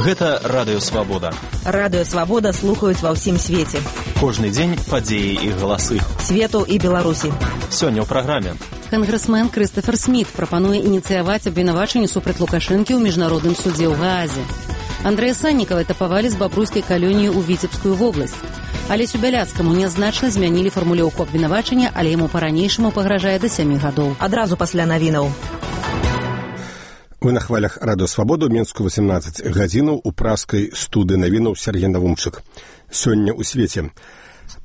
Гэта Радыё Свабода. Радыё Свабода слухаюць ва ўсім свеце. Кожны дзень падзеі і галасы. Свету і Беларусі. Сёння ў праграме. Кангрэсмен Крыстафер Сміт прапануе ініцыяваць абвінавачанне супраць Лукашэнкі ў міжнародным судзе ў Гаазе. Андрэя Саннікава этапавалі з бабруйскай калоніі ў Віцебскую вобласць. Алесю Бяляцкаму нязначна змянілі фармулёўку абвінавачання, але яму па-ранейшаму пагражае да 7 гадоў. Адразу пасля навінаў. Вы на хвалях Радыё Свабоду, Мінску 18 гадзінаў у праскай студыі навінаў Сергей Навумчык. Сёння ў свеце.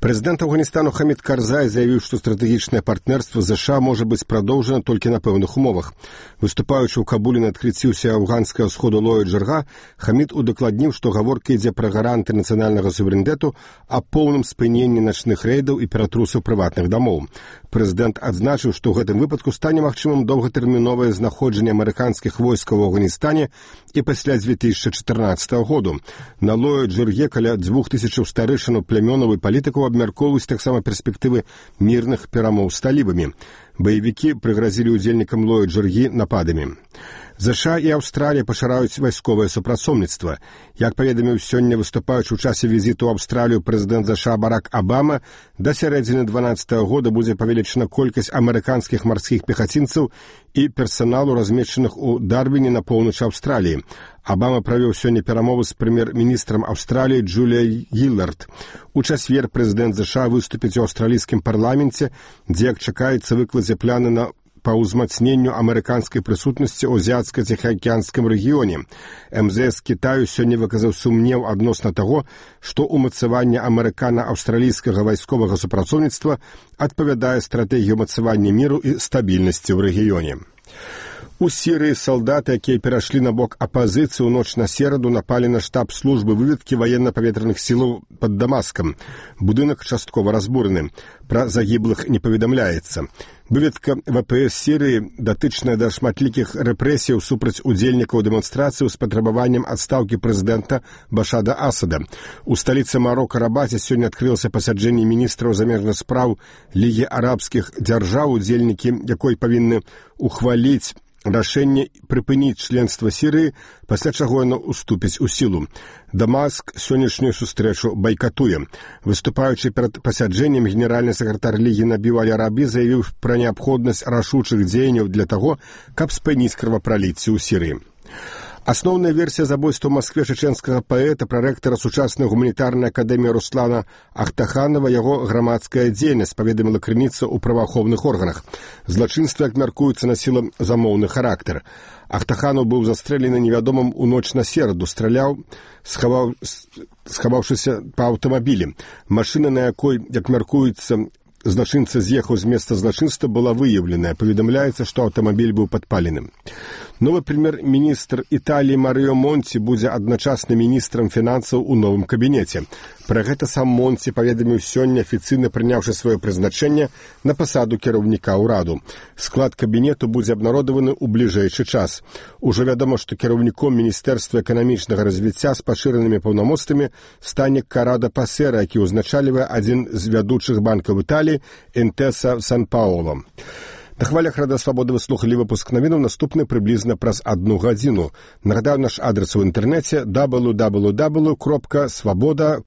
Прэзідэнт Афганістану Хамід Карзай заявіў, што стратэгічнае партнерства з США можа быць прадоўжана толькі на пэўных умовах. Выступаючы ў Кабуле на адкрыцці афганскага сходу Лоя Джарга, Хамід удакладніў, што гаворка ідзе пра гаранты нацыянальнага суверэнітэту а поўным спыненні начных рэйдаў і ператрусаў прыватных дамоў. Прэзідэнт адзначыў, што ў гэтым выпадку стане магчымым доўгатэрміновае знаходжанне амерыканскіх войскаў у Афганістане і пасля 2014 году. На Лоя Джарге каля 2000 старэйшынаў плямёнаў і палітыкаў абмяркоўваюць таксама перспектывы мірных перамоў з талібамі. Баевікі прыгразілі ўдзельнікам Лоя Джаргі нападамі. ЗША і Аўстралія пашыраюць вайсковае супрацоўніцтва. Як паведаміў сёння выступаючы ў часе візіту ў Аўстралію прэзідэнт ЗША Барак Абама, да сярэдзіны 2012 года будзе павелічана колькасць амерыканскіх марскіх пехацінцаў і персаналу, размешчаных у Дарвіне на поўначы Аўстраліі. Абама правёў сёння перамовы з прэм'ер-міністрам Аўстраліі Джуліяй Гіллард. У чацвер прэзідэнт ЗША выступіць у аўстралійскім парламенце, дзе, як чакаецца, выкладзе пляны на па ўзмацненню амерыканскай прысутнасці ў азіятска-ціхаакіянскім рэгіёне. МЗС Кітаю сёння выказаў сумнеў адносна таго, што ўмацаванне амерыкана-аўстралійскага вайсковага супрацоўніцтва адпавядае стратэгіі ўмацавання міру і стабільнасці ў рэгіёне. У Сірыі салдаты, якія перайшлі на бок апазіцыі ў ноч на сераду, напалі на штаб службы выведкі ваенна-паветраных сілаў пад Дамаскам. Будынак часткова разбураны. Пра загіблых не паведамляецца. Выведка ВПС Сірыі датычная да шматлікіх рэпрэсіяў супраць удзельнікаў дэманстрацыі з патрабаваннем адстаўкі прэзідэнта Башара Асада. У сталіцы Марока Рабаце сёння адкрылася пасяджэнне міністраў замежных спраў Лігі арабскіх дзяржаў, удзельнікі якой павінны ухваліць рашэнне прыпыніць членства Сірыі, пасля чаго яно уступіць у сілу. Дамаск сённяшнюю сустрэчу байкатуе. Выступаючы перад пасяджэннем, генеральны сакратар Лігі Набіл Аль-Арабі заявіў пра неабходнасць рашучых дзеянняў для таго, каб спыніць крывапраліцце ў Сірыі. Асноўная версія забойства ў Маскве чэчэнскага паэта, прарэктара сучаснай гуманітарнай акадэміі Руслана Ахтаханова, яго грамадская дзейнасць, паведаміла крыніца ў праваахоўных органах. Злачынства, як мяркуецца, насіла замоўны характар. Ахтаханов быў застрэлены невядомым у ноч на сераду, страляў, схаваўшыся па аўтамабілі. Машына, на якой, як мяркуецца, злачынца з'ехаў з месца злачынства, была выяўленая. Паведамляецца, што аўтамабіль быў падпаленым. Новы прэм'ер-міністр Італіі Марыё Монці будзе адначасна міністрам фінансаў у новым кабінеце. Пра гэта сам Монці паведаміў сёння, афіцыйна прыняўшы сваё прызначэнне на пасаду кіраўніка ўраду. Склад кабінету будзе абнародаваны ў бліжэйшы час. Ужо вядома, што кіраўніком Міністэрства эканамічнага развіцця з пашыранымі паўнамоцтвамі стане Карадо Пасера, які ўзначальвае адзін з вядучых банкаў Італіі Інтэса Сан-Паоло. На хвалях Радыё Свабода вы слухалі выпуск навінаў, наступны прыблізна праз 1 гадзіну. Нагадаю, наш адрес у інтэрнэце www.swaboda.org.